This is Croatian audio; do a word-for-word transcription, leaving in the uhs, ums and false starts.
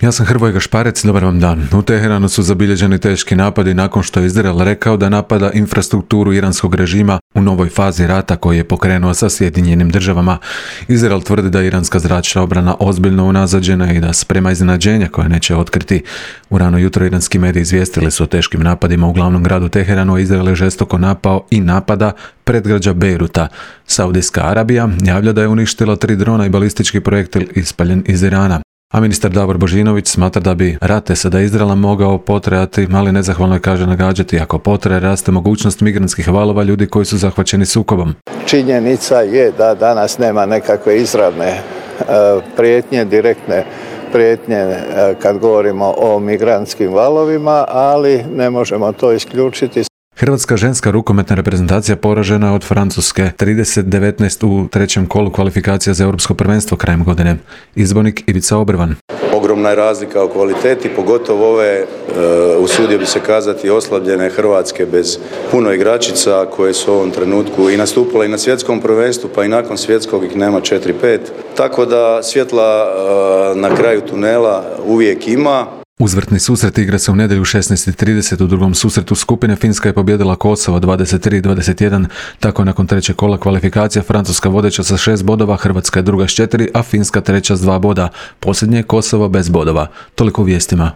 Ja sam Hrvoje Gašparec, dobar vam dan. U Teheranu su zabilježeni teški napadi nakon što je Izrael rekao da napada infrastrukturu iranskog režima u novoj fazi rata koji je pokrenuo sa Sjedinjenim državama. Izrael tvrdi da je iranska zračna obrana ozbiljno unazađena i da sprema iznenađenja koje neće otkriti. U rano jutro iranski mediji izvijestili su o teškim napadima u glavnom gradu Teheranu, a Izrael je žestoko napao i napada predgrađa Bejruta. Saudijska Arabija javlja da je uništila tri drona i balistički projektil ispaljen iz Irana. A ministar Davor Božinović smatra da bi rat S A D Izraela mogao potrajati, ali nezahvalno je, kaže, nagađati. Ako potraje, raste mogućnost migrantskih valova ljudi koji su zahvaćeni sukobom. Činjenica je da danas nema nekakve izravne e, prijetnje, direktne prijetnje e, kad govorimo o migrantskim valovima, ali ne možemo to isključiti. Hrvatska ženska rukometna reprezentacija poražena je od Francuske trideset devetnaest u trećem kolu kvalifikacija za europsko prvenstvo krajem godine. Izbornik Ivica Obrvan. Ogromna je razlika u kvaliteti, pogotovo ove, uh, usudio bi se kazati, oslabljene Hrvatske bez puno igračica koje su u ovom trenutku i nastupile i na svjetskom prvenstvu, pa i nakon svjetskog ih nema četiri pet. Tako da svjetla uh, na kraju tunela uvijek ima. Uzvrtni susret igra se u nedjelju u šesnaest i trideset. U drugom susretu skupine Finska je pobijedila Kosovo dvadeset tri dvadeset jedan. Tako nakon trećeg kola kvalifikacija Francuska vodeća sa šest bodova, Hrvatska je druga s četiri, a Finska treća s dva boda. Posljednje je Kosovo bez bodova. Toliko u vijestima.